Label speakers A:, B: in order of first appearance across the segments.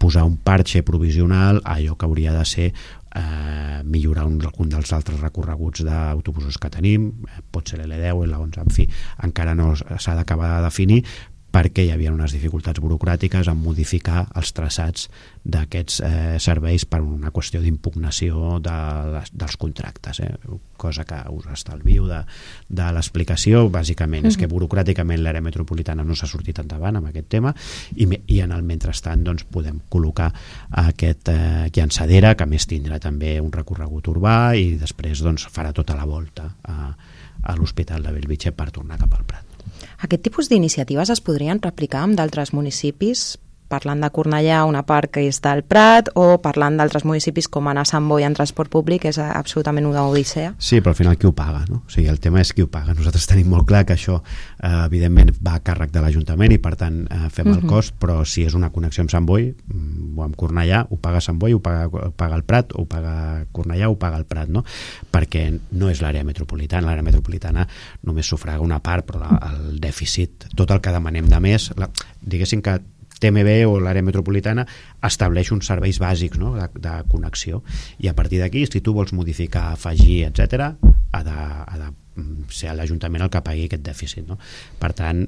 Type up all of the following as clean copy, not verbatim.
A: posar un parxe provisional a allò que hauria de ser millorar algun dels altres recorreguts d'autobusos que tenim, pot ser l'L10 o l'L11, en fi, encara no s'ha d'acabar de definir, perquè hi havia unes dificultats burocràtiques en modificar els traçats d'aquests serveis per una qüestió d'impugnació dels contractes, cosa que us estalvio de l'explicació. Bàsicament és que burocràticament l'àrea metropolitana no s'ha sortit endavant amb aquest tema i en el mentrestant doncs, podem col·locar aquest llançadera, que a més tindrà també un recorregut urbà i després doncs, farà tota la volta a l'Hospital de Bellvitge per tornar cap al Prat.
B: Aquest tipus d'iniciatives es podrien replicar amb d'altres municipis? Parlant de Cornellà, una part que és del Prat, o parlant d'altres municipis com anar a Sant Boi en transport públic, és absolutament una odissea?
A: Sí, però al final qui ho paga, no? O sigui, el tema és qui ho paga. Nosaltres tenim molt clar que això evidentment va a càrrec de l'Ajuntament i per tant fem el cost, però si és una connexió amb Sant Boi o amb Cornellà, ho paga Sant Boi, ho paga el Prat, ho paga Cornellà, ho paga el Prat, no? Perquè no és l'àrea metropolitana. L'àrea metropolitana només sufraga una part, però el dèficit, tot el que demanem de més, diguéssim que TMB o l'àrea metropolitana estableix uns serveis bàsics, no? de connexió, i a partir d'aquí, si tu vols modificar, afegir, etc., ha de ser l'Ajuntament el que pagui aquest dèficit, no? Per tant,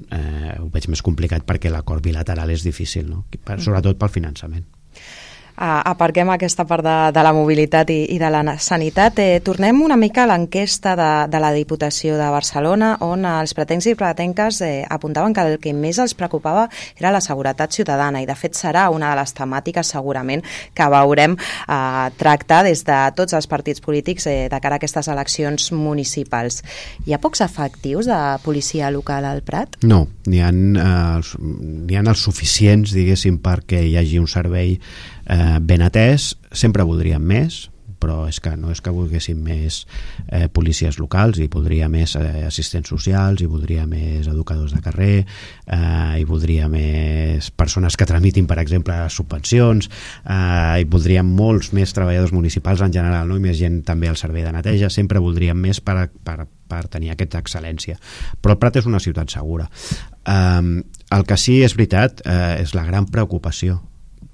A: ho veig més complicat perquè l'acord bilateral és difícil, no? Sobretot pel finançament.
B: Aparquem aquesta part de la mobilitat i de la sanitat. Tornem una mica a l'enquesta de la Diputació de Barcelona, on els pretencs i pretenques apuntaven que el que més els preocupava era la seguretat ciutadana, i de fet serà una de les temàtiques segurament que veurem tractar des de tots els partits polítics de cara a aquestes eleccions municipals. Hi ha pocs efectius de policia local al Prat?
A: No, n'hi ha els suficients, diguéssim, perquè hi hagi un servei ben atès. Sempre voldríem més, però és que no és que volguéssim més policies locals, hi voldria més assistents socials, hi voldria més educadors de carrer, hi voldria més persones que tramitin, per exemple, subvencions, hi voldríem molts més treballadors municipals en general, no? I més gent també al servei de neteja. Sempre voldríem més per tenir aquesta excel·lència, però el Prat és una ciutat segura. El que sí és veritat és la gran preocupació.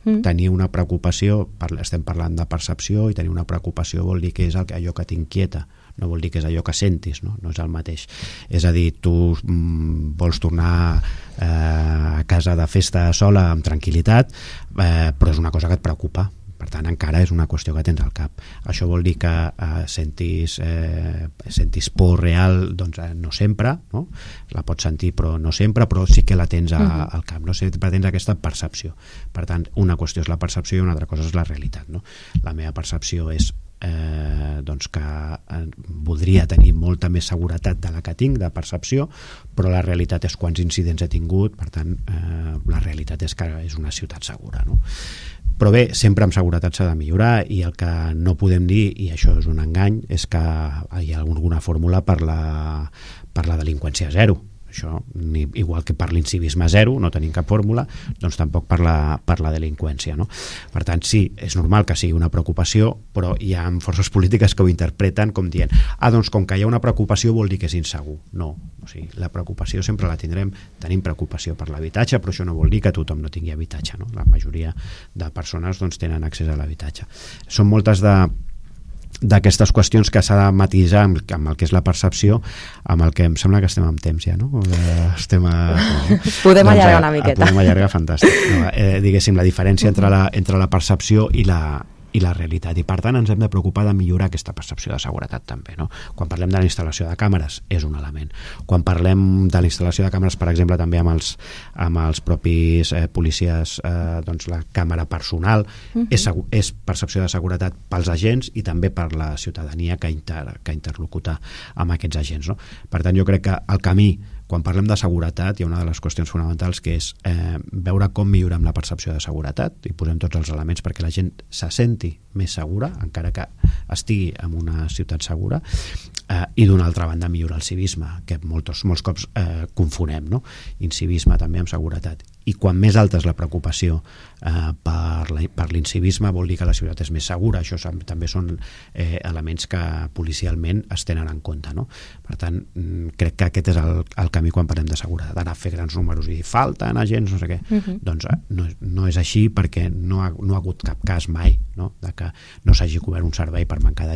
A: Tenir una preocupació, estem parlant de percepció, i tenir una preocupació vol dir que és allò que t'inquieta, no vol dir que és allò que sentis, no és el mateix. És a dir, tu vols tornar a casa de festa sola amb tranquil·litat, però és una cosa que et preocupa. Per tant, encara és una qüestió que tens al cap. Això vol dir que sentis por real, doncs no sempre, no? La pots sentir però no sempre, però sí que la tens al cap, no? Sempre tens aquesta percepció. Per tant, una qüestió és la percepció i una altra cosa és la realitat, no? La meva percepció és doncs que voldria tenir molta més seguretat de la que tinc, de percepció, però la realitat és quants incidents he tingut. Per tant, la realitat és que és una ciutat segura, no? Però bé, sempre amb seguretat s'ha de millorar, i el que no podem dir, i això és un engany, és que hi ha alguna fórmula per la delinqüència zero. Això, igual que per l'incivisme zero no tenim cap fórmula, doncs tampoc per la delinqüència, no? Per tant, sí, és normal que sigui una preocupació, però hi ha forces polítiques que ho interpreten com dient, doncs com que hi ha una preocupació vol dir que és insegur. No, o sigui, la preocupació sempre la tindrem. Tenim preocupació per l'habitatge, però això no vol dir que tothom no tingui habitatge, no? La majoria de persones doncs, tenen accés a l'habitatge. Són moltes d'aquestes qüestions que s'ha de matisar amb el que és la percepció, amb el que em sembla que estem amb temps ja, no?
B: Podem allargar una miqueta.
A: Podem allargar, fantàstic. Diguéssim, la diferència entre la percepció i la realitat, i per tant ens hem de preocupar de millorar aquesta percepció de seguretat també, no? Quan parlem de la instal·lació de càmeres és un element. Quan parlem de la instal·lació de càmeres, per exemple, també amb els propis policies, doncs la càmera personal és percepció de seguretat pels agents i també per la ciutadania que interlocuta amb aquests agents, no? Per tant, jo crec que el camí, quan parlem de seguretat, hi ha una de les qüestions fonamentals que és veure com millorem la percepció de seguretat i posem tots els elements perquè la gent se senti més segura, encara que estigui en una ciutat segura, i d'una altra banda millorar el civisme, que molts cops confonem, no? Incivisme també amb seguretat. i quan més alta és la preocupació per l'incivisme vol dir que la ciutat és més segura. Això també són elements que policialment es tenen en compte, no? Per tant, crec que aquest és el camí quan parlem de seguretat, d'anar a fer grans números i dir falten agents, no sé què. Doncs no és així, perquè no ha hagut cap cas mai, no? De que no s'hagi cobert un servei per mancar de